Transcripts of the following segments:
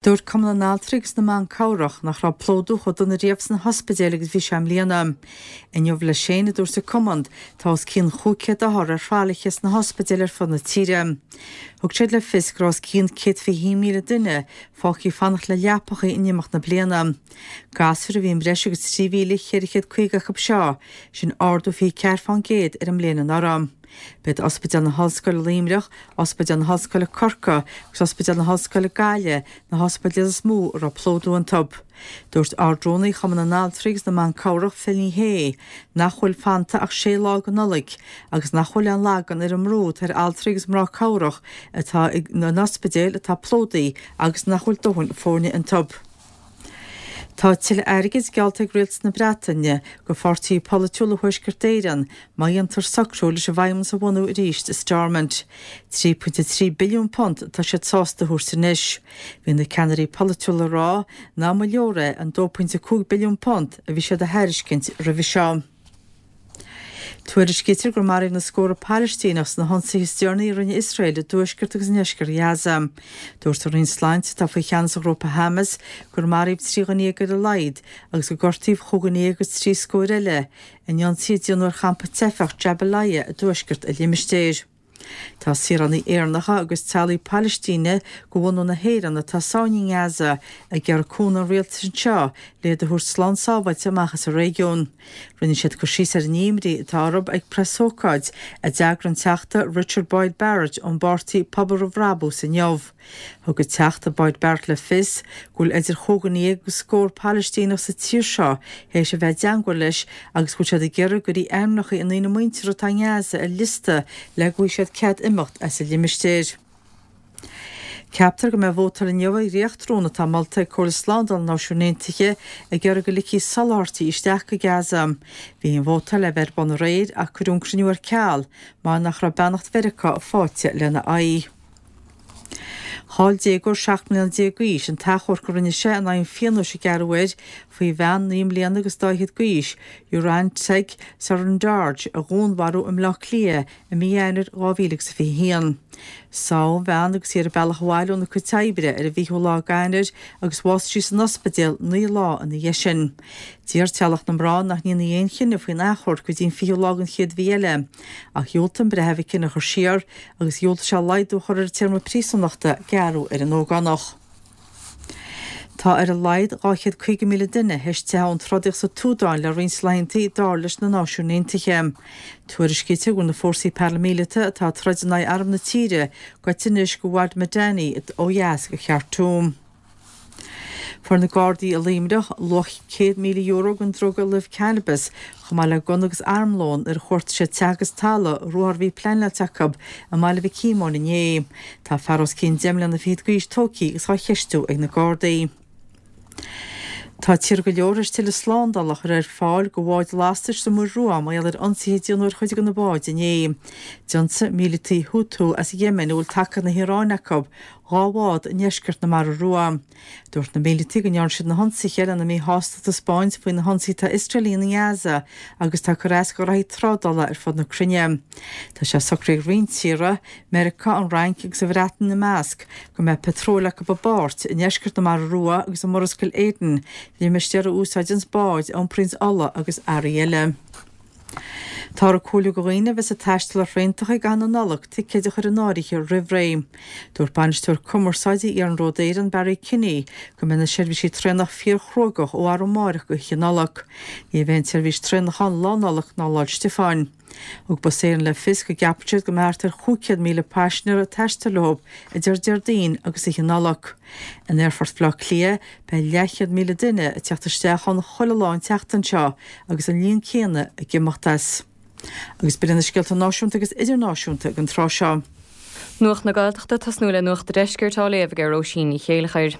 Dúirt Cumann na nAltraí agus na mBan Cabhrach nach raibh plódú chomh dona riamh sna hospidéil agus bhí sé i mbliana. Inniu leis féin, a dúirt an Cumann, tá os cionn 500 othar ar thralaithe sna hospidéil ar fud na tíre. Thug siad le fios go raibh os cionn 121,000 duine fágtha ag fanacht le leapacha in imeacht na bliana. Gasúir a bhí i mbreis agus 3,450 acu seo, sin ardú 24 fán gcéad ar an mbliain anuraidh. B'iad Ospidéal na hOllscoile Luimneach, Ospidéal na hOllscoile Corcaigh agus Ospidéal na hOllscoile Gaillimh na hospidéil is mó a raibh plódú iontu. Dúirt Ard-Rúnaí Chumann na nAltraí agus na mBan Cabhrach, Phil Ní Sheaghdha, nach bhfuil fanta ach sé lá go Nollaig agus nach bhfuil aon lagán ar an mbrú atá ar altraí agus mná cabhrach atá in ospidéil atá plódaithe agus nach bhfuil dóthain foirne iontu. Tá tuilleadh airgid geallta ag Rialtas na Breataine go pháirtithe polaitiúla Thuaisceart Éireann má dhéantar socrú leis an bhFeidhmeannas a bhunú arís i Stormont. £3.3 billiún atá siad sásta a thabhairt anois. Bhí na ceannairí polaitiúla ag rá nach mba leor é an £2.5 billiún a bhí siad a thairiscint roimhe seo. Tuairiscítear gur maraíodh na scórtha Palaistíneach sna hionsaithe is deireanaí a rinne Iosrael i dtuaisceart agus i ndeisceart Ghaza. Dúirt an Roinn Sláinte, atá faoi cheannas an ghrúpa Hamas, gur maraíodh 13 dhuine ar a laghad agus gur gortaíodh chúig dhuine dhéag agus trí scór eile in ionsaithe a déanadh ar champa teifeach Jabalia i dtuaisceart an limistéir. Tá saoránaigh Éireannacha agus teaghlaigh Palaistíne de bhunadh na hÉireann atá sáinnithe i nGaza ag iarraidh cúnamh an rialtais anseo le iad a thabhairt slán sábháilte amach as an réigiún. Rinne siad cur síos ar an imní atá orthu ag preasócáid a d'eagraigh an Teachta Richard Boyd Barrett ón bpáirtí Pobal Roimh Bhrabús inniu. Thug an Teachta Boyd Barrett le fios go bhfuil idir chúig dhuine dhéag agus scór Palaistíneach sa tír seo théis a bheith i dteangmháil leis agus go bhfuil siad ag iarraidh go gcuirfí ainmneacha a ndaoine muinteartha atá i nGaza ar liosta le go bhfaighidh siad cead imeacht as an limistéar. Ceaptar go mbeidh vótáil inniu ar dhréachtrún atá molta ag Comhairle Slándála na Náisiún Aontaithe ag iarraidh go ligfí soláthairtí isteach go Gaza. Bhí an vótáil le bheith ar bun aréir ach cuireadh an cruinniú ar ceal mar nach raibh beannacht Mheiriceá faighte lena aghaidh. Chaill déagóir 17 mbliana d'aois an t-achomharc a rinne sé in aghaidh an phionóis a gearradh air faoi bhean naoi mbliana agus dá fhichead d'aois, Urantsetseg Tserendorj, a dhúnmharú i mBleá Cliath i mí Eanáir 2021. Sádh an bhean agus í ar a bealach abhaile óna cuid oibre ar an bhfichiú lá d'Eanáir agus bhásaigh sí san ospidéal naoi lá ina dhiaidh sin. D'iarr teaghlach na mná nach ndéanfaí aon chinneadh faoin achomharc go dtí an fichiú lá den chéad mhí eile, ach dhiúltaigh an breitheamh an cinneadh a chur siar agus dhiúltaigh sé laghdú a chur ar an téarma príosúnachta a gearradh ar an ógánach. Tá ar a laghad 250,000 duine théis teitheadh ón trodaíocht sa tSúdáin le roinnt laethanta, dar leis na Náisiúin Aontaithe. Tuairiscítear go bhfuil na fórsaí paraimíleata atá ag troid in aghaidh arm na tíre gaibhte anois go Wad Madani ó dheas de Khartoum. Fuair na Gardaí i Luimneach luach €100,000 den druga luibh cannabis, chomh maith le gunna agus armlón nuair a chuartaigh siad teach agus talamh ruathar a bhí pleanáilte acu i mBaile Mhic Shíomóin inné. Tá fear os cionn 10 mbliana fichead d'aois tógtha agus á cheistiú ag na Gardaí. Tá tíortha go leor théis tuilleadh slándála a chur ar fáil do bháid lastais sa Mhuir Rua mar gheall ar ionsaithe a déanadh ar chuid de na báid inné. D'ionsaigh míleataigh Houthi as Yemen, a bhfuil tacaíocht na hIaráine acu, 2 bhád i ndeisceart na Mara Rua. Dúirt na míleataigh go ndearna siad na hionsaithe lena míshástacht a thaispeáint faoi na hionsaithe atá Iosrael a dhéanamh i nGaza agus atá ag cur as do ghraithí trádála ar fud na cruinne. Tá sé socraithe ag roinnt tíortha, Meiriceá, an Fhrainc agus an Bhreatain ina measc, go mbeidh patróil acu i bpáirt i ndeisceart na Mara Rua agus i Murascaill Aden, limistéar a úsáideanns báid a iompraíonns ola agus earraí eile. Táthar ag comhairliú do dhaoine a bheas ag taisteal ar thraentacha i gcaitheamh na Nollag ticéid a chur in áirithe roimh ré. Dúirt Bainisteoir Cumarsáide Iarnród Éireann Barry Kinney go mbeidh na seirbhísí traenach fíor-chruógach ó arú amárach go hOíche Nollag. Ní bheidh aon tseirbhís traenach ann Lá Nollag ná Lá 'le Stiofáin. Thug Bus Éireann le fios go gceapann siad go mbeidh thart ar 500,000 paisinéir ag taisteal leo idir Déardaoin agus Oíche Nollag. In Aerfort Bhaile Átha Cliath, beidh leathchéad míle duine ag teacht isteach ann chuile lá an tseachtain seo agus an líon céanna ag imeacht as. Agus b'in iad na scéalta náisiúnta agus idirnáisiúnta ag an tráth seo. Nuacht na Gaeltachta, tosnú le Nuacht a' Deiscirt á léamh ag Róisín Ní Chéilleachair.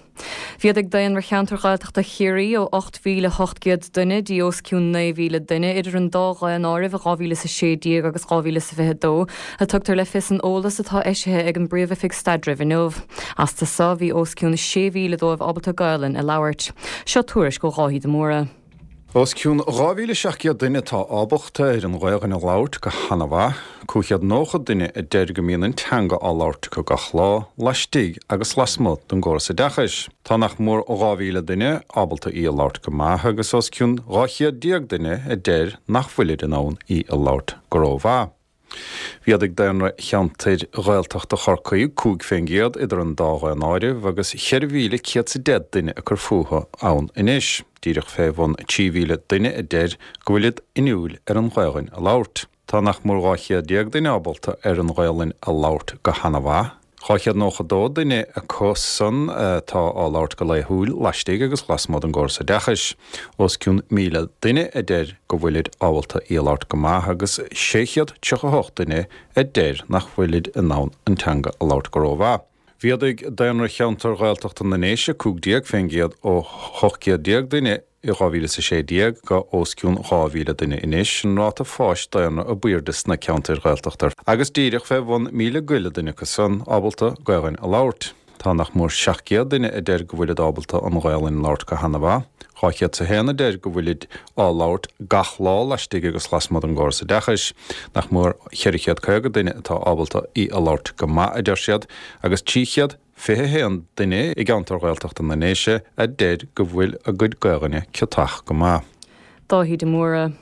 Mhéadaigh daonra cheantar Ghaeltachta Chiarraí ó 8,800 duine dtí os cionn 9,000 duine idir an dá dhaonáireamh i 2016 agus 2022, a tugtar le fios san eolas atá eisithe ag an bPríomh-Oifig Staidrimh inniu. Astu so bhí os cionn 6,000 dóibh ábalta Gaolainn a labhairt. Seo tuairisc ó Dháithí de Mórdha. Os cionn 2,700 duine atá ábalta ar an Ghaelainn a labhairt go hana-mhaith, 590 duine a deir go mbíonn an teanga á labhairt acu gach lá, laistigh agus lasmuigh den gcóras oideachais. Tá nach mór 2,000 duine ábalta í a labhairt go maith agus os cionn 12 chéad duine a deir nach bhfuilid in ann í a labhairt go rómhaith. Mhéadaigh daonra cheantair Ghaeltachta Chorcaí 5% idir an dá dhaonáireamh agus 4,110 duine ag cur fúthu ann anois, díreach fé bhun 3,000 duine a deir go bhfuilid inniúil ar an Ghaelainn a labhairt. Tá nach mór 12 chéad duine ábalta ar an Ghaelainn a labhairt go hana-mhaith. 292 duine acu san atá á labhairt go laethúil laistigh agus lasmuigh den gcóras oideachais. Os cionn 1,000 duine a deir go bhfuilid ábalta í a labhairt go maith agus 638 duine a deir nach bhfuilid in ann an teanga a labhairt go rómhaith. Mhéadaigh daonra cheantar Ghaeltachta na nDéise 15% ó 18 céad duine i 2016 go os cionn 2,000 duine anois, an ráta fáis daonra ab aoirde sna ceantair Ghaeltachta agus díreach fé bhun 1,000 go leith duine acu san ábalta Gaelainn a labhairt. Tá nach mór 700 duine a deir go bhfuilid ábalta an Ghaelainn a labhairt go hana-mhaith, 201 a deir go bhfuilid á labhairt gach lá laistigh agus lasmuigh den gcóras oideachais, nach mór 450 duine atá ábalta í a labhairt go maith, a deir siad, agus 300. 21 duine i gceantar Ghaeltachta na nDéise a deir go bhfuil a gcuid Gaelainne ciotach go maith. Dáithí de Mórdha.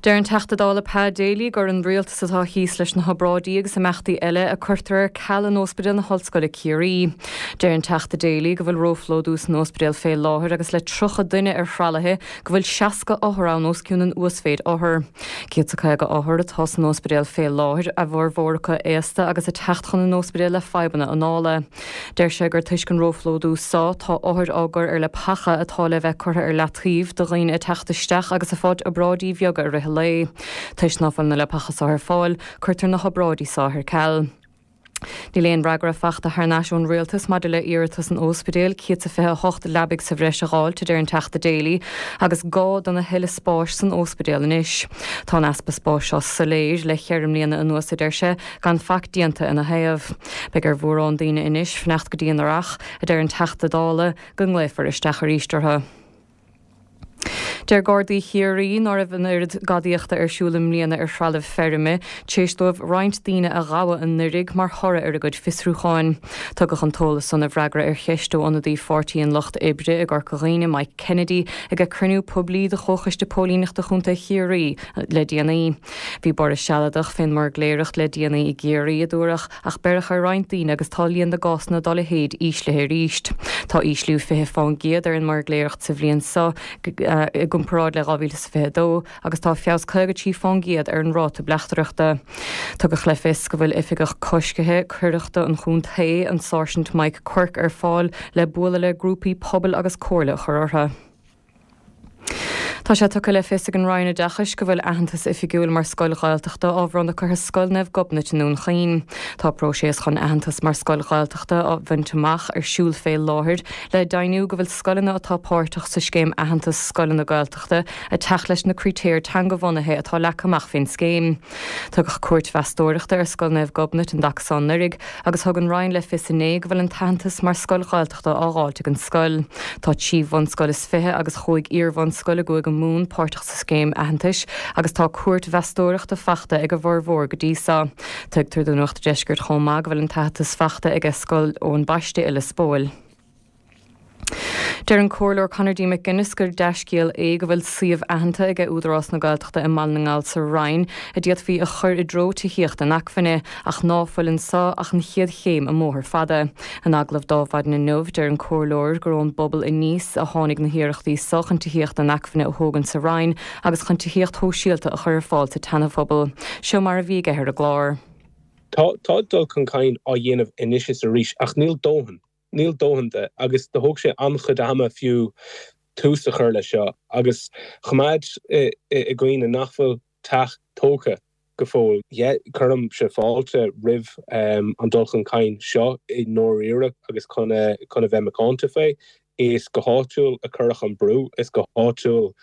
Deir an Teachta Dála Pa Daly gur an Rialtas atá thíos leis na hobráidí agus imeachtaí eile a cuirtear ar ceal in Óspidéal na hOllscoile Ciarraí. Deir an Teachta Daly go bhfuil róphlódú san óspidéal fé láthair agus le 30 duine ar thralaithe go bhfuil 60 othar ann os cionn an uasmhéid othar. 150 othar atá san óspidéal fé láthair, a bhformhór acu aosta agus ag teacht chun an óspidéil le fadhbanna anála. Deir sé gur toisc an róphlódú so, tá othair á gcur ar leapacha atá le bheith curtha ar leataobh do dhaoine ag teacht isteach agus ag fáilt obráidí bheaga i rith an lae. Toisc ná fuil na leapacha so ar fáil, cuirtear na hobráidí so ar ceal. Níl aon fhreagra fachta thar n-ais ón Rialtas maidir le iarratas an óspidéil 128 leabaidh sa bhreis a dh'fháilt, a deir an Teachta Daly, agus gá dona thuilleadh spáis san óspidéal anois. Tá an easpa spáis seo soiléir le cheithre mbliana anuas, a deir sé, gan faic déanta ina thaobh. Beidh ar mhórán daoine anois fanacht go dtí an Earrach, a deir an Teachta Dála, go nglaofar isteach arís orthu. Deir Gardaí Chiarraí ná raibh an oiread gadaíochta ar siúl i mbliana ar threalamh feirme tar éis dóibh roinnt daoine a ghabhadh anuraidh mar thoradh ar a gcuid fiosrúcháin. Tugadh an t-eolas san i bhfreagra ar cheist ó ionadaí Pháirtí an Lucht Oibre i gCorca Dhuibhne, Mike Kennedy, ag cruinniú poiblí de Chomhchoiste Póilíneachta Chontae Chiarraí le déanaí. Bhí borradh sealadach fén mbuirgléireacht le déanaí i gCiarraí, a dúradh, Ach beireadh ar roinnt daoine agus tá líon na gcásanna dá leithéid íslithe arís. Tá ísliú 20 fán gcéad ar an mbuirgléireacht sa bhliain seo i gcomparáid le 2022 agus tá feabhas 53 fán gcéad ar an ráta bleachtaireachta. Tugadh le fios go bhfuil Oifigeach Coiscthe Coireachta an chontae, an Sáirsint Mike Quirke, ar fáil le bualadh le grúpaí pobail agus comhairle a chur orthu. Tá sé tugtha le fios ag an Roinn Oideachais go bhfuil aitheantas oifigiúil mar scoil Ghaeltachta á bhronnadh curtha Scoil Naomh Gobnait i nDún Chaoin. Tá próiseas chun aitheantas mar scoil Ghaeltachta a bhaint amach ar siúl fé láthair le deimhniú go bhfuil scoileanna atá páirteach sa scéim Aitheantas Scoileanna Gaeltachta ag teacht leis na critéir teangabhunaithe atá leagtha amach fén scéim. Tugadh cuairt mheastóireachta ar Scoil Naomh Gobnait an dtaca so anuraidh agus thug an Roinn le fios inné go bhfuil an t-aitheantas mar scoil Ghaeltachta á dháilt ag an scoil. Tá 13 bhunscoil is agus chúig iar-bhunscoil i gCúige Mumhan páirteach sa scéim aitheantais agus tá cuairt mheastóireachta fachta ag a bhformhór go dtí so. Tuigtear do Nuacht an Deiscirt chomh maith go bhfuil an t-aitheantas fachta aige Scoil Eoin Baiste i Lios Póil. Deir an Comhairleoir Conor D. McGuinness gur dea-scéal é go bhfuil suíomh aitheanta aige Údarás na Gaeltachta i mBaile na nGall sa Rinn a d'fhéadfaí a chur i dtreo tithíocht inacmhainne ach ná fuil anso ach an chéad chéim i mbóthar fada. In agallamh do Adhmhaidin inniu, deir an Comhairleoir gur ón bpobal aníos a tháinig na hiarrachtaí so chun tithíocht inacmhainne a thógaint sa Rinn agus chun tithíocht shóisialta a chur ar fáil sa tseanaphobal. Seo mar a bhí aige ar an gclár. Tá tá dul chun cinn á dhéanamh anois is arís ach níl dóthain. Níl dóthain de agus do thóg sé an-chuid ama fiú tús a chur leis seo agus choimeád i gcuimhne nach bhfuil teach tógtha go fóill. Cuirimse fáilte roimh an dul chun cinn seo i ndáiríre agus chun a bheith macánta fé. Is go háitiúil a cuireadh an brú, is go háitiúil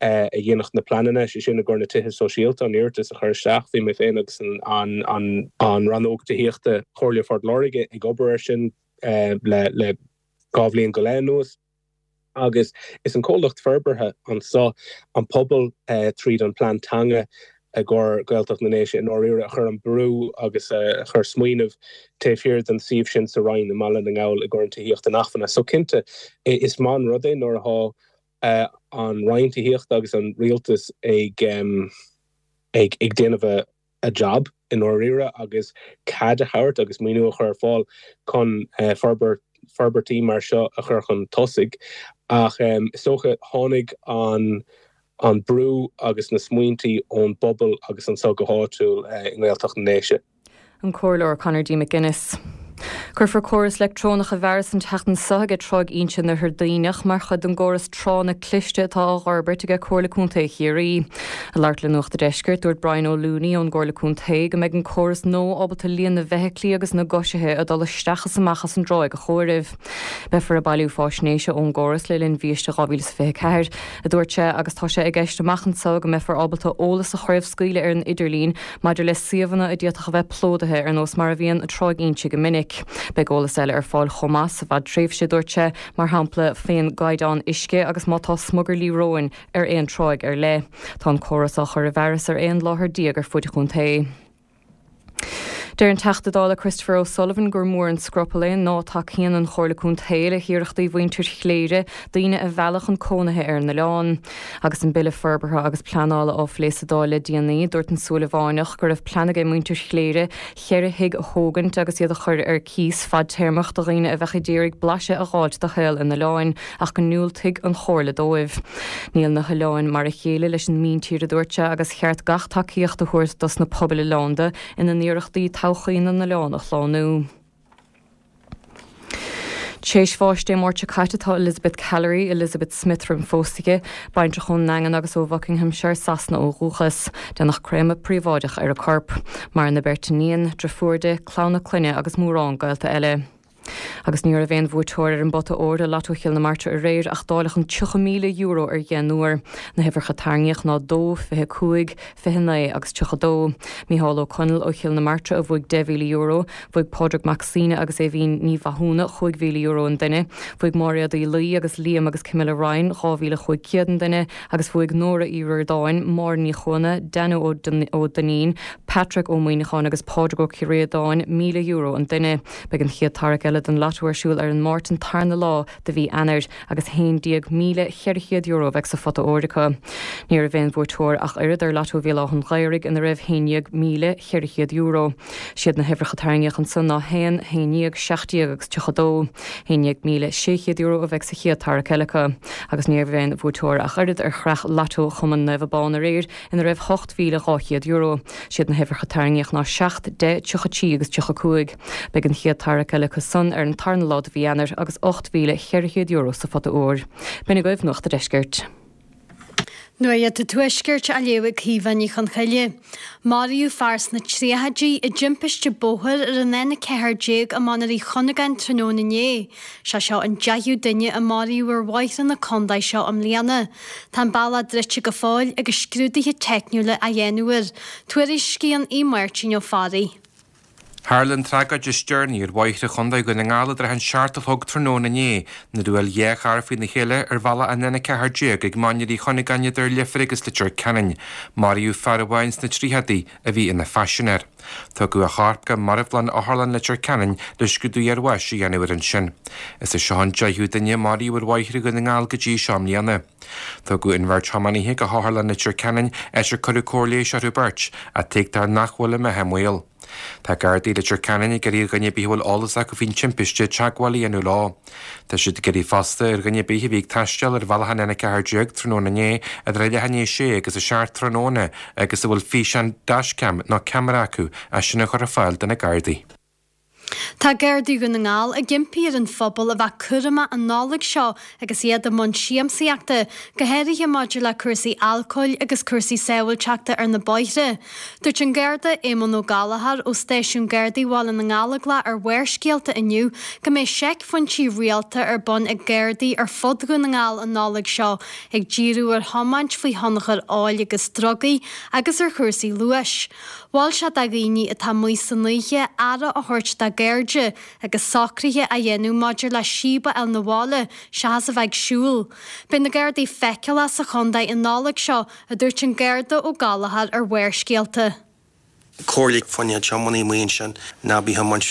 a dhéanadh na pleananna, sé sin i gcomhair na tithe sóisialta, an iarratas a chur isteach. Bhí mé féin agus an Rannóg Tithíochta Chomhairle Phort Láirge ag obair air sin le 2 bhliain go leith anuas. Agus is an comhlacht forbartha anso, an pobal tríd an plean teanga i gcomhair Gaeltacht na nDéise i ndáiríre a chuir an brú agus a chuir smaoineamh taobh thiar den suíomh sin sa Rinn i mBaile na nGall i gcomhair an tithíocht inacmhainne. So cinnte is maith an rud é nuair atá an Roinn Tithíochta agus an Rialtas ag ag déanamh a a job i ndáiríre agus cead a thabhairt agus maoiniú a chur ar fáil chun forbairt, forbairtí mar seo a chur chun tosaigh. Ach is dócha tháinig an an brú agus na smaointí ón bpobal agus anso go háitiúil i nGaeltacht na nDéise. An Comhairleoir Conor D. McGuinness. Cuirfear córas leictreonach i bhfearas an tseachtain seo aige Tráigh Inse in Oirthear Duibhneach mar chuid den gcóras tránna cliste atá á fhorbairt aige Comhairle Contae Chiarraí. Ag labhairt le Nuacht a' Deiscirt, dúirt Brian Ó Looney ón gComhairle Contae go mbeidh an córas nua ábalta líon na bhfeithiclí agus na gcoisithe ag dul isteach is amach as an dtráigh a chomhaireamh. Beifear ag bailiú fáisnéise ón gcóras le linn bhiaiste 2024, a dúirt sé, agus tá sé i gceist amach anseo go mbeifear ábalta eolas a chraobhscaoileadh ar an idirlíon Maidir le suíomhanna a d'fhéadfadh a bheith plódaithe ar nós mar a bhíonn Tráigh Inse go minic, beidh eolas eile ar fáil chomh maith sa bhfadtréimhse, dúirt sé, mar shampla faoin gcaighdeán uisce agus má tá smugairlí róin ar aon tráigh ar leith. Tá an córas á chur i bhfearas ar 11 láthair ar fuid an chontae. Deir an Teachta Dála Christopher O'Sullivan gur mór an scrupall é ná tacaíonn an Chomhairle Contae le hiarrachtaí mhuintir Chléire daoine a mhealladh chun cónaithe ar an oileán. Agus an Bille Forbartha agus Pleanála á phlé sa Dáil le déanaí, dúirt an Súilleabhánach go raibh plean aige muintir Chléire cheithre thigh a thógaint agus iad a chur ar cíos fadtéarmach do dhaoine a bheadh ag iarraidh blaiseadh a dh'fháilt de shaol an oileáin ach go ndiúltaigh an Chomhairle dóibh. Níl na hoileáin mar a chéile leis an míntír, a dúirt sé, agus cheart gach tacaíocht a thabhairt dos na pobail oileánda ina n-iarrachtaí todhchaí na n-oileán a shlánú. Tar éis bháis Dé Máirt seo caite tá Elizabeth Callery, Elizabeth Smith roimh an phósadh di, baintreach ón nDaingean agus ó Bhuckinghamshire, Sasana ó dhúchas. Déanadh créamadh príobháideach ar a corp. Maireann a beirt iníon, driofúr di, clann a clainne agus mórán gaolta eile. Agus ní raibh aon bhuaiteoir ar an bpota óir i Lotto Chill na Martra aréir ach dáileadh an €30,000 ar dheich n-uair. Na huimhreacha a tarraingíodh ná 2, 25, 29 agus 32. Mícheál Ó Conaill ó Chill na Martra a bhuaigh €10,000, Bhuaigh Pádraig Mac Suibhne agus Aoibhín Ní Mhathúna €5,000 an duine, bhuaigh Máiréad Uí Laoi agus Liam agus Camilla Ryan €2,500 an duine agus bhuaigh Nóra Uí Ríordáin, Máire Ní Chuana, Danno Ó Duinnín, Patrick Ó Muíneacháin agus Pádraig Ó Críodáin €1,000 an duine. Beidh an chéad tarrac eile den Lotto ar siúl ar an Máirt an tarna lá de mhí Eanáir agus €11,400 a bheidh sa phota óir acu. Ní raibh aon bhuaiteoir ach oiread ar Lotto Bhéal Átha an Ghaorthaidh ina raibh €11,400. Siad na huimhreacha a tarraingíodh ansan ná 1, 11, 17 agus 32. €11,600 a bheidh sa chéad tarrac eile acu. Agus ní raibh aon bhuaiteoir ach oiread ar chreach Lotto Chumann Naomh Abán aréir ina raibh €8,200. Siad na huimhreacha a tarraingíodh ná 7, 10, 33 agus 35. Beidh an chéad tarrac eile acu san ar an tarna lá de mhí Eanáir agus €8,400 sa phota óir. B'in agaibh Nuacht a' Deiscirt. Nuacht an Tuaiscirt á léamh ag Caoimhe Ní Chonchoille. Maraíodh fear sna tríochaidí i dtimpiste bóthair ar an N14 i Mainéar Uí Chuinneagáin tráthnóna inné. Sé seo an deichiú duine a maraíodh ar bhóithre na contae seo i mbliana. Tá an bealach druidte go fóill agus scrúduithe teicniúla á dhéanamh air. Tuairiscíonn Aodh Máirtín Ó Fearraigh. Tharla an tragóid is deireanaí ar bhóithre Chontae Dhún na nGall i dtrátha an seacht a chlog tráthnóna inné nuair a bhuail dhá charr faoina chéile ar bhealach an N14 ag Mainéar Uí Chuinneagáin idir Leifear agus Leitir Ceanainn. Maraíodh fear amháin sna tríochadaí a bhí ina phaisinéir. Tugadh a chorp go marbhlann Otharlann Leitir Ceanainn le scrúdú iarbháis a dhéanamh air ansin. Is é seo an deichiú duine a maraíodh ar bhóithre Dhún na nGall go dtí seo i mbliana. Tugadh an bheirt thiománaithe go hOtharlann Leitir Ceanainn, áit ar cuireadh cóir leighis orthu beirt, ach tuigtear nach bhfuil a mbeatha i mbaol. Tá Gardaí Leitir Ceanainn ag iarraidh ar dhuine ar bith a bhfuil eolas acu faoin timpiste teagmháil a dhéanamh leo. Tá siad ag iarraidh fosta ar dhuine ar bith a bhí ag taisteal ar bhealach an N14 tráthnóna inné idir a leath i ndiaidh a sé agus a seacht tráthnóna agus a bhfuil físeán dashcam nó ceamara acu é sin a chur ar fáil do na Gardaí. Tá Gardaí Dhún na nGall ag impí ar an phobal a bheith cúramach an Nollaig seo agus iad i mbun siamsaíochta, go háirithe maidir le cúrsaí alcóil agus cúrsaí sábháilteachta ar na bóithre. Dúirt an Garda Éamonn Ó Gallchóir ó Stáisiún Gardaí Bhaile na nGallóglach ar Bharrscéalta inniu go mbeidh seicphointí rialta ar bun ag Gardaí ar fud Dhún na nGall an Nollaig seo ag díriú ar thiomáint faoi thionchar óil agus drugaí agus ar chúrsaí luais. Mhol sé do dhaoine atá amuigh san oíche aire a thabhairt dá. gcairde agus socruithe á dhéanamh maidir le síob a fháil 'na bhaile seachas a bheith ag siúl. Beidh na Gardaí feiceálach sa chontae an Nollaig seo, a dúirt an Garda Ó Gallchóir ar Bharrscéalta. Comhairle fá choinne tiománaí amuigh ansin, ná bí ag tiomáint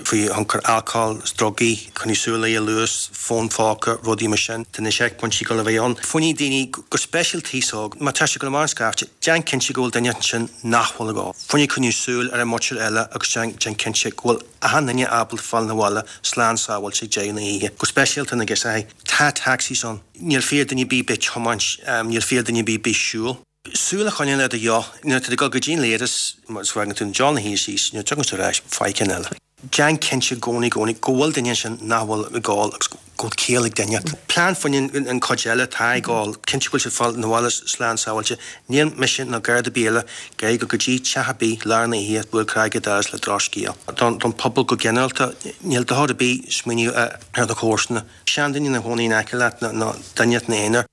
faoi thionchar alcóil is drugaí, coinnigh súil ar luas, fón phóca, rudaí mar sin. Tá na seicphointí ag dul a bheith ann. Fá choinne daoine, go speisialta aos óg, má tá siad ag dul amach ar an scaifte, déan cinnte go bhfuil duine ansin nach bhfuil ag ól. Fá choinne coinniú súil ar an muintir eile agus déan cinnte go bhfuil achan duine ábalta fáil 'na bhaile slán sábháilte ag deireadh na hoíche. Go speisialta na girseachaí. Tá taxis ann. Níl fíor duine ar bith bheith tiomáint, níl fíor duine ar bith bheith siúl. Súil a choinneáil ar do dheoch nuair atá tú ag dul go dtí an leithreas, má fhágann tú an deoch ina shuí síos, nuair a tagann tú ar ais, faigh ceann eile. Déan cinnte i gcónaí, i gcónaí, go bhfuil duine ansin nach bhfuil ag ól agus go bhfuil ciall ag duine. Plean fá choinne an chuid eile atá ag ól, cinnte go bhfuil siad ag fáil 'na bhaile slán sábháilte. Níl mise ná Garda ar bith eile ag iarraidh dul go dtí teach ar bith lár na hoíche ag bualadh cnaig ar doras le drochscéal. Don phobal go ginearálta, níl dochar ar bith smaoineamh ar do chomharsana. Seanduine ina chónaí in aice leat nó duine ina aonar.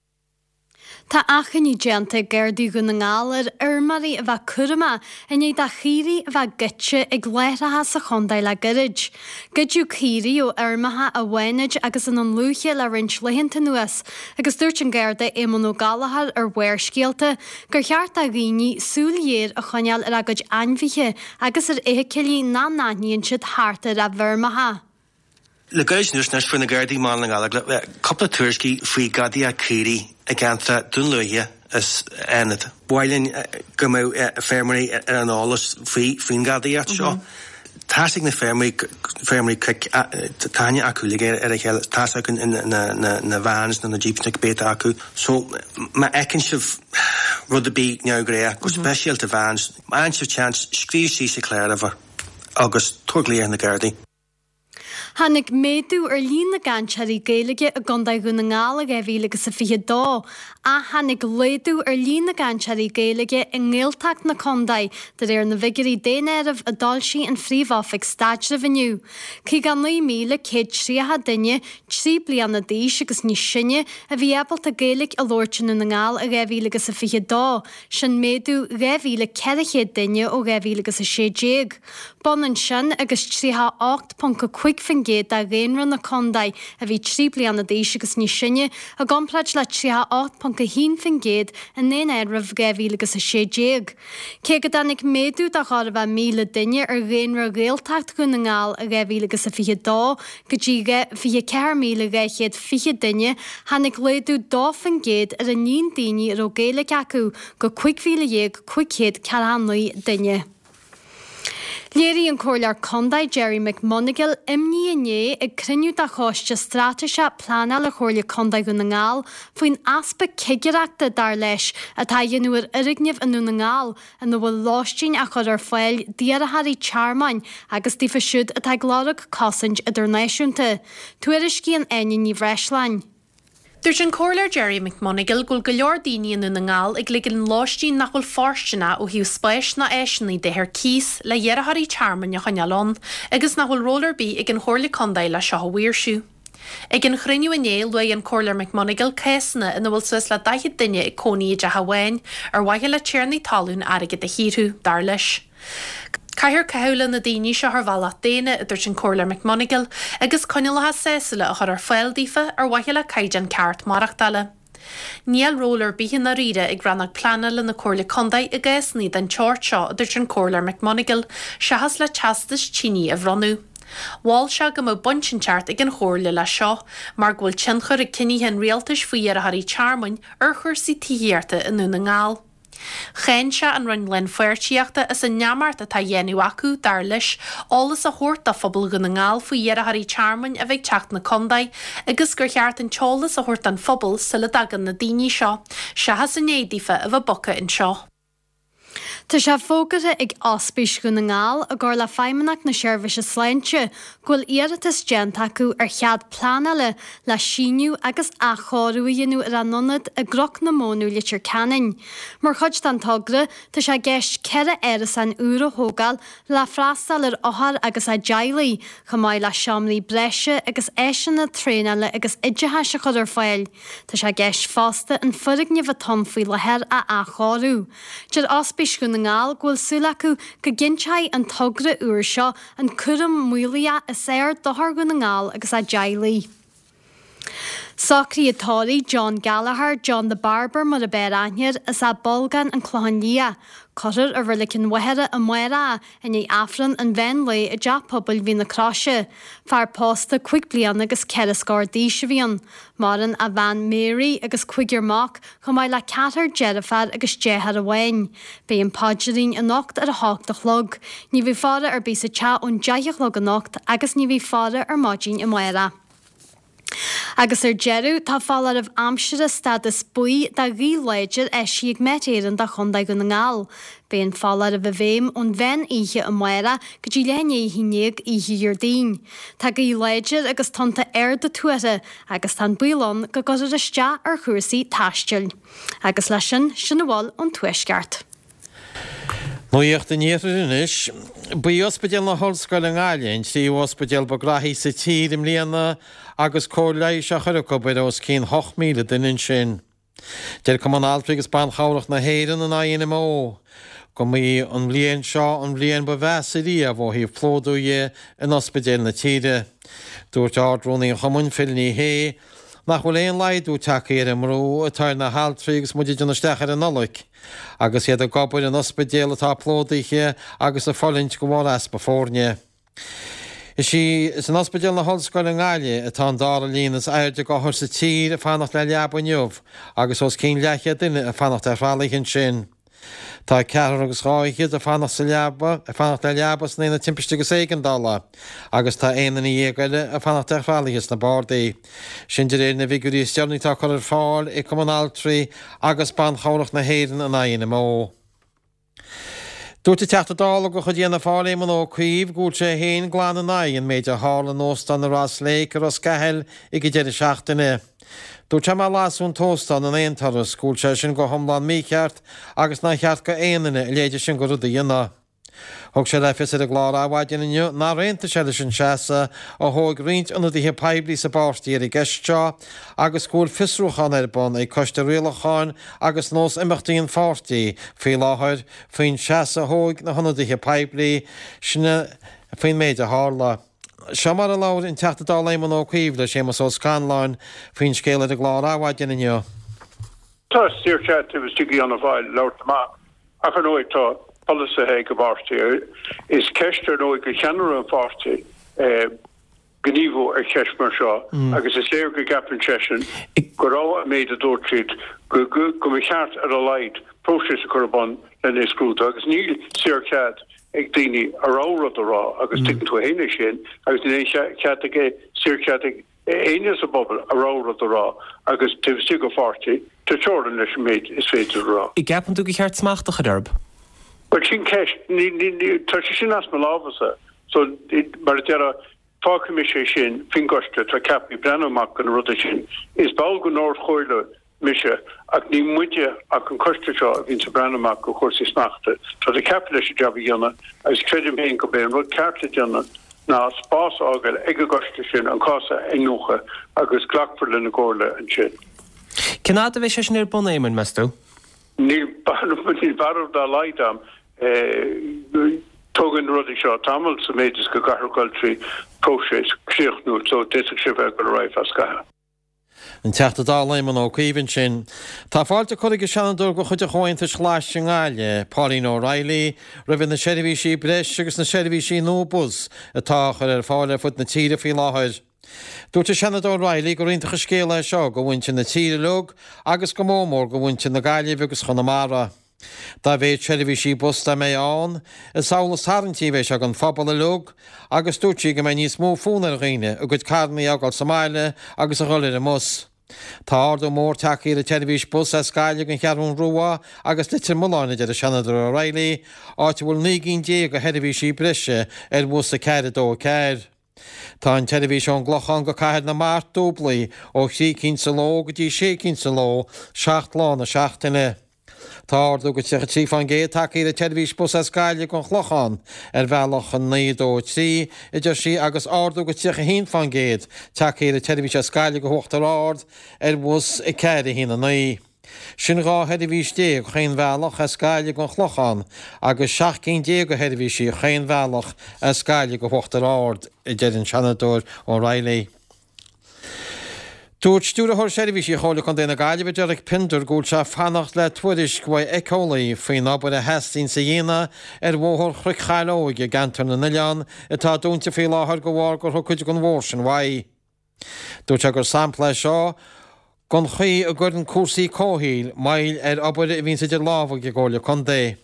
Tá achainí déanta ag Gardaí Dhún na nGall ar fheirmeoirí a bheith cúramach i ndiaidh do chaoirigh a bheith goidte ag láithreacha sa chontae le gairid. Goideadh caoirigh ó fheirmeacha i bhFánaid agus i nDún Lúiche le roinnt laethanta anuas agus dúirt an Garda Éamonn Ó Gallchóir ar Bharrscéalta gur cheart do dhaoine súil ghéar a choinneáil ar a gcuid ainmhithe agus ar fheithicilí nach n-aithníonn siad thart ar a bhfeirmeacha. Le gairid anuas anois fuair na Gardaí i mBaile na nGall cúpla tuairiscí faoi gadaíocht caoirigh i gceantar Dún Lúiche is Fhánada. Ba mhaith linn go mbeadh feirmeoirí ar an eolas faoin ghadaíocht seo. Tá's ag na feirmeoirí, feirmeoirí cnoic, tá aithne acu uilig ar a chéile, tá's acu na vans nó na jeeps nó cibé atá acu. So má fheiceann sibh rud ar bith neamhghnách, go speisialta vans, má fhaigheann sibh seans, scríobh síos an cláruimhir agus tabhair glaoch ar na Gardaí. Tháinig méadú ar líon na gcainteoirí Gaeilge i gContae Dhún na nGall i 2022, ach tháinig laghdú ar líon na gcainteoirí Gaeilge i nGaeltacht na contae, de réir na bhfigiúirí daonáirimh a d'fhoilsigh an Phríomh-Oifig Staidrimh inniu. 59,130 duine 3 bliana d'aois agus níos sine a bhí ábalta Gaeilge a labhairt i nDún na nGall i 2022, sin méadú 2,400 duine ó 2016. B'ionann sin agus 38.5% de dhaonra na contae a bhí 3 bliana d'aois agus níos sine, i gcomparáid le 38.1% i ndaonáireamh 2016. Cé go dtáinig méadú de chóir a bheith 1,000 duine ar dhaonra Ghaeltacht Dhún na nGall i 2022 go dtí 24,220 duine, tháinig laghdú 2% ar an líon daoine a raibh Gaeilge acu go 15,549 duine. Léirigh an Comhairleoir Contae Gerry McMonagail imní inné ag cruinniú de Choiste Straitéiseach Pleanála Chomhairle Contae Dhún na nGall faoin easpa cigireachta, dar leis, atá á dhéanamh ar fhoirgnimh i nDún na nGall ina bhfuil lóistín á chur ar fáil d'iarrthóirí tearmainn agus daofa siúd atá ag lorg cosaint idirnáisiúnta. Tuairiscíonn Áine Ní Bhreisleáin. Dúirt an Comhairleoir Gerry McMonagail go bhfuil go leor daoine i nDún na nGall ag ligean lóistín nach bhfuil fóirsteanach ó thaobh spáis ná áiseanna de ar cíos le hiarrthóirí tearmainn a choinneáil ann agus nach bhfuil ról ar bith ag an Chomhairle Contae le seo a mhaoirsiú. Ag an chruinniú inné, luaigh an Comhairleoir McMonagail cásanna ina bhfuil suas le 40 duine ag cónaí i dteach amháin ar mhaithe le tiarnaí talún airgead a shaothrú, dar leis. Caithfear caitheamh le na daoine seo ar bhealach daonna, a dúirt an Comhairleoir McMonagail, agus coinníollacha sásúla a chur ar fáil daofa ar mhaithe le caighdeán ceart maireachtála. Níl ról ar bith i ndáiríre ag Rannóg Pleanála na Comhairle Contae i gcásanna den tseort seo, a dúirt an Comhairleoir McMonagail, seachas le teastais tine a bhronnadh. Mhol sé go mbeadh baint inteacht ag an Chomhairle leis seo, mar go bhfuil tionchar ag cinnithe an Rialtais faoi iarrthóirí tearmainn ar chúrsaí tithíochta i nDún na nGall. Cháin sé an Roinn Lánpháirtíochta as an neamart atá á dhéanamh acu, dar leis, eolas a thabhairt do phobal Dhún na nGall faoi iarrthóirí tearmainn a bheith ag teacht 'na contae agus gur cheart an t-eolas a thabhairt don phobal sula dtagann na daoine seo, seachas i ndiaidh daofa a bheith bogtha anseo. Tá sé fógartha ag Ospís Dhún na nGall, i gcomhar le Feidhmeannacht na Seirbhíse Sláinte, go bhfuil iarratas déanta acu ar chead pleanála le síneadh agus athchóiriú a dhéanamh ar a n-ionad i gCnoc na Mónadh, Leitir Ceanainn. Mar chuid den togra, tá sé i gceist 4 árasán úr a thógáil le freastal ar othair agus a dteaghlaigh, chomh maith le seomraí breise agus áiseanna traenála agus oideachais a chur ar fáil. Tá sé i gceist fosta an foirgneamh atá ann faoi láthair a athchóiriú. Deir Ospís. Ospís Dhún na nGall go bhfuil súil acu go gcinnteoidh an togra úr seo an cúram maolaitheach is fhearr d'othair Dhún na nGall agus a dteaghlaigh. Socruithe tórraimh John Gallagher, John the Barber mar ab fhearr aithne air, as Áth Bolgáin, An Clochán Liath. Cuirfear i Reilig an Mhachaire amárach é, i ndiaidh Aifreann an mheán lae i dTeach Pobail Mhín na Croise. Fear pósta 5 bliana agus 4 scór d'aois a bhí ann. Maireann a bhean Mary agus cúigear mac, chomh maith le ceathrar deirféar agus deartháir amháin. Beidh an paidrín anocht ar a hocht a chlog. Ní bheidh faire ar bith sa teach ón deich a chlog anocht agus ní bheidh faire ar maidin amárach. Agus ar deireadh, tá foláireamh aimsire stádas buí do ghaoth láidir eisithe ag Met Éireann do Chontae Dhún na nGall. Beidh an foláireamh i bhfeidhm ón mheán oíche amárach go dtí leath i ndiaidh a haon dhéag oíche Dhéardaoin. Tá gaoth láidir agus tonnta arda tuartha agus tá an baol ann go gcuirfear isteach ar chúrsaí taistil. Agus leis sin, sin a bhfuil ón Tuaisceart. Nuacht an Iarthair anois. Ba í Ospidéal na hOllscoile i nGaillimh an tríú ospidéal ba ghraithí sa tír i mbliana agus cóir leighis á chur acu ar os cionn 8,000 duine ansin. Deir Cumann Altraí agus Ban Chabhrach na hÉireann, an INMO, go mba í an bhliain seo an bhliain ba mheasa riamh ó thaobh plódú dhe in ospidéil na tíre. Dúirt Ard-Rúnaí an chumainn, Phil Ní Sheaghdha, nach bhfuil aon laghdú tagtha ar an mbrú atá ar na haltraí agus muid ag déanamh isteach ar an Nollaig agus iad ag obair in ospidéil atá plódaithe agus ag fulaingt de bharr easpa foirne. Is í is in Ospidéal na hOllscoile i nGaillimh atá an dara líon is airde d'othair sa tír ag fanacht le leaba inniu agus os cionn leathchéad duine ag fanacht ar thralaithe ansin. Tá ceathrar agus dhá fhichead ag fanacht sa leaba, ag fanacht le leaba san Aonad Timpiste agus Éigeandála agus tá aon duine dhéag eile ag fanacht ar thralaithe sna bardaí. Sin de réir na bhfigiúirí is deireanaí atá curtha ar fáil ag Cumann Altraí agus Ban Chabhrach na hÉireann, an INMO. Dúirt an Teachta Dála de chuid Fhianna Fáil Éamon Ó Cuív go bhfuil sé féin glan in aghaidh an méid a tharla in Óstán na Ross Lake i Ros Cathail ag an deireadh seachtaine. Dúirt sé má lasadh an t-óstán in aon turas go bhfuil sé sin go hiomlán mícheart agus nár cheart go aon duine a leithéide sin de rud a dhéanamh. Thug sé le fios ar an gclár Adhmhaidin inniu nár aontaigh sé leis an seasamh a thóg roinnt ionadaithe poiblí sa bpáirtí ar an gceist seo agus go bhfuil fiosrúchán ar bun ag Coiste Rialacháin agus Nós Imeachtaí an pháirtí faoi láthair faoin seasamh a thóg na hionadaithe poiblí sin faoin méid a tharla. Seo mar a labhair an Teachta Dála Éamon Ó Cuív le Séamus Ó Scanláin faoin scéal ar an gclár Adhmhaidin inniu. Tá saorchead taobh istigh d'Fhianna Fáil labhairt amach ach ar ndóigh tá polasaithe ag an bpáirtí. Is ceist ar ndóigh do cheannaire an pháirtí gníomhú ar cheist mar seo agus is léir go gceapann seisean go raibh an méid a dúirt siad go mba cheart ar a laghad próiseas a chur ar bun lena scrúdú agus níl saorchead ag daoine a rogha rud a rá agus tuigeann tú féin é sin agus níl aon chead ag saorchead ag éinne sa bpobal a rogha rud a rá agus taobh istigh de pháirtí, tá teorainn leis an méid is féidir a rá. An gceapann tú gur cheart smacht a chur orthu? Bhuel, sin ceist. Tá sé sin as mo lámhsa. So, mar a déarfá, fágfaidh mise é sin faoin gcoiste atá ceaptha breathnú amach do na rudaí sin. Is ball den Ard-Chomhairle mise, ach ní muide ach an coiste seo a bhíonns ag breathnú amach do chúrsaí smachta. Tá siad ceaptha leis an jab a dhéanamh agus creidim féin gurb é an rud ceart le déanamh ná spás a fhágáil ag an gcoiste sin an cás a iniúchadh agus glacfar lena gcomhairle ansin. Cén fhad a bheidh sé sin ar bun, Éamoin, meas tú? Níl barúil dá laghad a'm. Tógann na rudaí seo tamall sa méid is go gcaithfear dul trí próiseas críochnúil so d'fhéadfadh sé bheith ag dul ar aghaidh feadh scaithimh. An Teachta Dála Éamon Ó Cuív ansin. Tá fáilte curtha ag an Seanadóir de chuid an Chomhaontais Ghlais i nGaillimh, Pauline O'Reilly, roimhe na seirbhísí breise agus na seirbhísí nua bus atá á chur ar fáil ar fud na tíre faoi láthair. Dúirt an Seanadóir O'Reilly gur iontach an scéal é seo go mhuintir na tíre uilig agus go mór mór go mhuintir na Gaillimhe agus Chonamara. Dá mhéad seirbhísí bus dá mbeidh ann, is amhlaidh is tarraingtí a bheidh sé don phobal uilig agus dúirt sí go mbeidh níos mó fonn ar dhaoine a gcuid carrannaí a fhágáil sa mbaile agus a dhul ar an mbus. Tá ardú mór tagtha ar an tseirbhís bus as Gaillimh don Cheathrún Rua agus Leitir Mealláin, a deir an Seanadóir O'Reilly, áit a bhfuil 19 gcinn de sheirbhísí breise ar bhus 4 2 4. Tá an tseirbhís ón gClochán go Cathair na Mart dúblaithe ó thrí cinn sa ló go dtí sé cinn sa ló, 7 lá na seachtaine. Tá ardú go 33% tagtha ar an tseirbhís bus as Gaillimh don Chlochán ar bhealach 9 2 3, a deir sí, agus ardú go 31% tagtha ar an tseirbhís as Gaillimh go hUachtar Ard ar bhus 4 1 9. Sin 12 sheirbhís chaon bhealach as Gaillimh gon Chlochán agus 17 cinn de sheirbhísí chaon bhealach as Gaillimh go hUachtar Ard, a deir an Seanadóir O'Reilly. Dúirt Stiúrthóir Seirbhísí Chomhairle Contae na Gaillimhe Derek Pinder go bhfuil sé ag fanacht le tuairisc uaidh éiceolaí faoin obair a theastaíonns a dhéanamh ar bhóthar Chnoic Chaileoig i gCeantar na nOileán atá dúnta faoi láthair de bharr gur thug cuid den bhóthar sin uaidh. Dúirt sé gur sampla é seo den chaoi a gcuireann cúrsaí comhshaoil moill ar obair a bhíonns idir lámha ag an gComhairle Contae.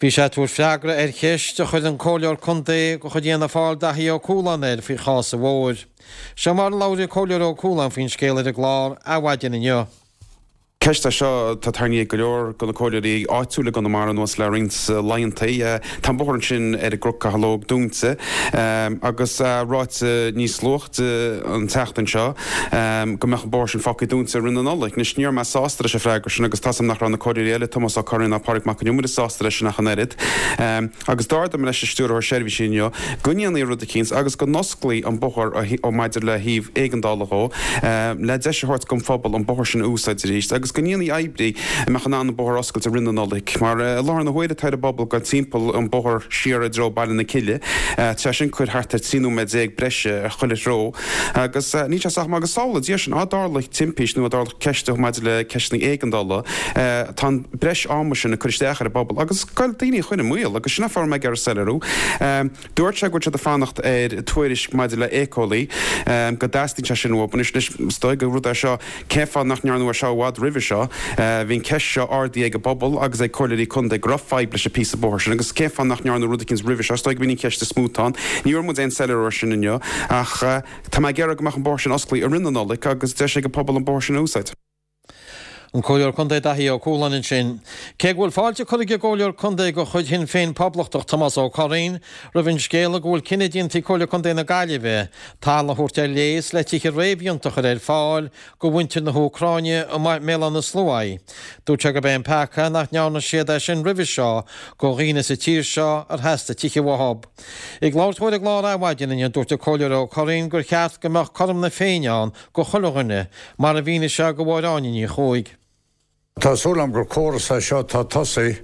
Bhí sé ag tabhairt freagra ar cheist a chuir an Comhairleoir Contae de chuid Fhianna Fáil Daithí Ó Cualáin air faoi chás an bhóthair. Seo mar a labhair an Comhairleoir Ó Cualáin faoin scéal ar an gclár Adhmhaidin inniu. Ceist é seo atá tarraingthe ag go leor de na comhairleoirí áitiúla i gConamara anuas le roinnt laethanta. Tá an bóthar ansin ar an gCnoc Caileog dúnta agus ráite níos luaithe an tseachtain seo go mbeadh an bóthar sin fágtha dúnta i rith na Nollag. Anois ní raibh mé sásta leis an freagra sin agus tá's agam nach raibh na comhairleoirí eile, Tomás Ó Curraoin ná Pádraig Mac Con Iomaire sásta leis sin ach an oiread. Agus d'ardaigh mé leis an Stiúrthóir Seirbhísí inniu go ndéanfaí rud eicínt agus go n-osclaí an bóthar ó maidir le thaobh éigeandála dhó, le deis a thabhairt don phobal an bóthar sin a úsáid arís agus go ndéanfaí oibrí a mbeadh in ann an bóthar a oscailt i rith na Nollag. Mar i láthair na huaire tá ar an bpobal dul timpeall an bóthar siar i dtreo Baile na Cille. Tá sé sin ag cur thart ar 13 nóiméad breise ar chuile threo agus níl sé sách maith agus samhlaigh Dia sin, á dtarlódh timpist nó á dtarlódh ceist maidir le ceisteanna éigeandála, tá an breis ama sin ag cur isteach ar an bpobal agus ag goil daoine a chur i mbaol agus sin an fáth a raibh mé ag iarraidh soiléiriú. Dúirt sé go bhfuil siad ag fanacht ar tuairisc maidir le éiceolaí, go dteastaíonn sé sin uathu. Anois, is dóigh gur rud é seo, cén fáth nach ndearnadh é seo i bhfad roimhe seo? Bhí an ceist seo ardaithe ag an bpobal agus ag comhairleoirí contae go raibh fadhb leis an píosa bóthair sin agus cén fáth nach ndearnadh rud eicínt roimhe seo? Is dóigh go b'in an cheist is mó atá ann. Ní bhfuair muid aon soiléiriú air sin inniu ach tá mé ag iarraidh go mbeadh an bóthar sin osclaithe i rith na Nollag agus deis ag an pobal an bóthar sin a úsáid. An Comhairleoir Contae Daithí Ó Cualáin ansin. Cé go bhfuil fáilte curtha ag an gComhairleoir Contae de chuid Shinn Féin Poblachtach Tomás Ó Curraoin roimh an scéala go bhfuil cinneadh déanta ag Comhairle Contae na Gaillimhe talamh a thabhairt ar léas le tithe réamhdhéanta a chur ar fáil do mhuintir na hÚcráine i mBéal Átha na Sluaighe, dúirt sé gurb é an peaca nach ndearna siad é sin roimhe seo do dhaoine sa tír seo ar theastaigh tithe uathu. Ag labhairt dó ar an gclár Adhmhaidin inniu, dúirt an Comhairleoir Ó Curraoin gur cheart go mbeadh cothrom na Féinne ann go chuile dhuine, mar a mhínigh sé do Mháire Áine Ní Chuaig. Tá súil agam gur córas é seo atá tosaithe,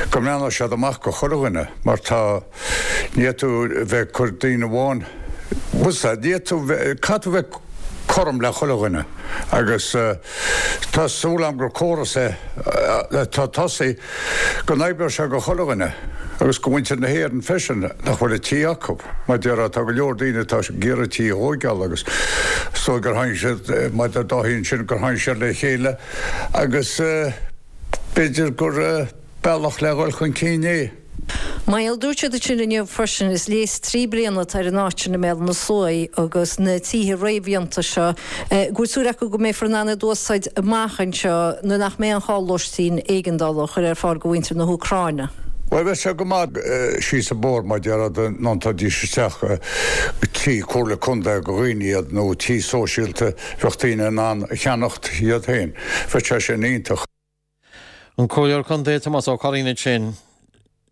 go mbreathnóidh siad amach go chuile dhuine, mar tá, ní fhéadfaidh tú bheith ag cur daoine amháin, bhfuil 's a'd, ní fhéadfaidh tú bheith, caithfidh tú bheith cothrom le chuile dhuine agus tá súil agam gur córas é atá tosaithe go n-oibreoidh sé go chuile dhuine agus go mhuintir na hÉireann freisin nach bhfuil a tí acu. Mar déarfá tá go leor daoine atá ag iarraidh tí a thóigeáil agus is dóigh gur tháinig siad, mar deir Dáithí ansin, gur tháinig siad le chéile agus b'fhéidir gur bealach le dhul chun cinn é. Niall, dúirt siad ansin inniu freisin, is léas 3 bliana atá ar an áit sin i mBéal Átha na Sluaighe agus na tithe réamhdhéanta seo, go bhfuil súil acu go mbeifear in ann iad a úsáid amach anseo nuair nach mbeidh aon chall lóistín éigeandála a chur ar fáil do mhuintir na hÚcráine. Bhuel, bheadh sé go maith síos an bóthar mar déarfá dá ndéanfaidís isteach tí Comhairle Contae do dhaoine iad nó tí sóisialta bheadh daoine in ann a cheannacht iad féin. Bheadh sé sin iontach. An Comhairleoir Contae Tomás Ó Curraoin ansin.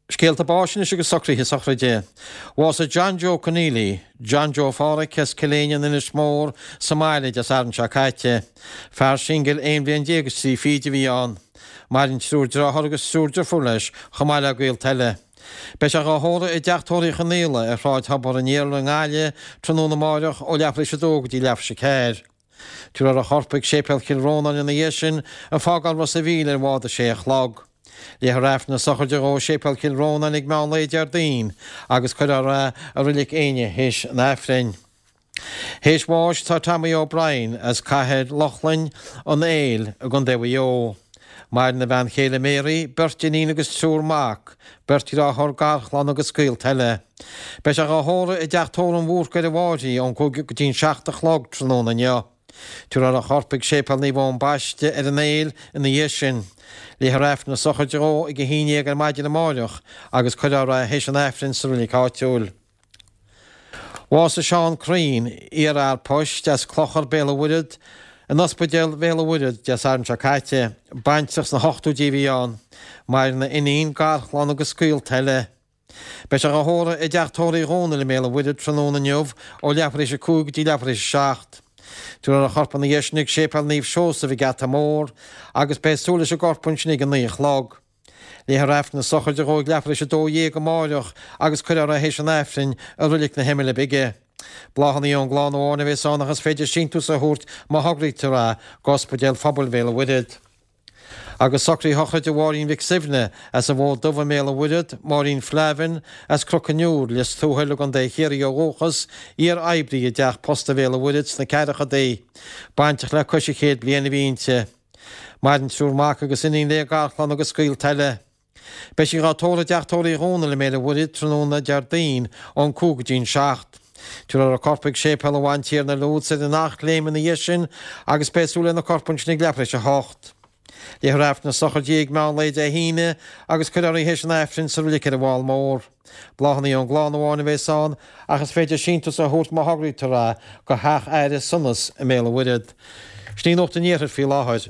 Scéalta báis anois agus socruithe sochraide. Bhásaigh John Joe Conneely, John Joe Pháraic as Cill Éinne in Inis Mór sa mbaile Dé Sathairn seo caite. Fear singil aon bhliain déag is trí fichid a bhí ann. Maireann triúr dearthár agus triúr deirfiúr leis chomh maith le gaolta eile. Beidh sé dhá thórramh i dteach tórraimh Uí Chonaola ar Shráid Thobar an Iarla i nGaillimh tráthnóna amáireach ó leathuair tar éis a dó go dtí leathuair tar éis a ceathair. Tabharfar a chorp chuig Séipéal Chill Rónáin ina dhiaidh sin, ag fágáil Ros a' Mhíl ar bhád a sé a chlog. Léifear Aifreann na sochraide dhó i Séipéal Chill Rónáin ag meán lae Déardaoin agus cuirfear é i Reilig Éinne théis an Aifrinn. Théis bháis tá Tommy O'Brien as Cathair Lochlainn, An Éill i gContae Mhaigh Eo. Maireann a bhean chéile Mary, beirt iníon agus triúr mac, beirt dhearthár, garchlann agus gaolta eile. Beidh sé dhá thórramh i dteach tórraimh an Bhúrcaigh ar an bhFairche ón 5 go dtí an 7 a chlog tráthnóna inniu. Tabharfar a chorp chuig Séipéal Naomh Eoin Baiste ar an Éill ina dhiaidh sin. Léifear Aifreann na sochraide dhó ag 11 ar maidin amáireach agus cuirfear é théis an Aifrinn sa reilig áitiúil. Bhásaigh Seán Crean, iarfhear poist as Clochar, Béal an Mhuirthead, in Ospidéal Bhéal an Mhuirthead Dé Sathairn seo caite. Baintreach sna hochtóidí a bhí ann. Maireann a iníon, garchlann agus gaolta eile. Beidh sé dhá thórramh i dteach tórraimh Uí Dhónaill i mBéal an Mhuirthead tráthnóna inniu ó leathuair tar éis a 5 go dtí leathuair tar éis a 7. Tabharfar a chorp ina dhiaidh sin ag Séipéal Naomh Seosamh ag Geata Mór agus beidh súil leis an gcorp ansin ag 9 a chlog. Léifear Aifreann na sochraide dhó ag leathuair théis 12 amáireach agus cuirfear é théis an Aifrinn i Roilig na hImile Bige. Bláthanna ón gclann amháin a bheas ann ach is féidir síntiús a thabhairt má thograítear é go Ospidéal Phobail Bhéal an Mhuirthead. Agus socruithe shochraide Mháirín Mhic Suibhne, as an bhFód Dubh i mBéal an Mhuirthead, Máirín Flavin, as Cnoc an Iúir, Lios Tuathail i gContae Chiarraí ó dhúchas, iar-oibrí i dTeach Posta Bhéal an Mhuirthead sna ceathrachaidí. Bainteach le cois an chéid bliain a bhí inti. Maireann triúr mac agus iníon léi, garchlann agus gaolta eile. Beidh sí dhá tórramh i dTeach Tórraimh Uí Dhónaill i mBéal an Mhuirthead tráthnóna Déardaoin ón 5 go dtí'n 7. Tabharfar a corp ag Séipéal an Bhantiarna i Lourdes ar an Eachléim ina dhiaidh sin agus beidh súil lena corp ansin ag leathuair théis 8. Léifear Aifreann na sochraide ag meán lae Dé hAoine agus cuirfear í théis an Aifrinn sa reilig ar an bhFál Mór. Bláthanna ón gclann amháin a bheas ann ach is féidir síntiús a thabhairt má thograítear é go Theach Aire Sonas i mBéal an Mhuirthead. Sin í Nuacht an Iarthair faoi láthair.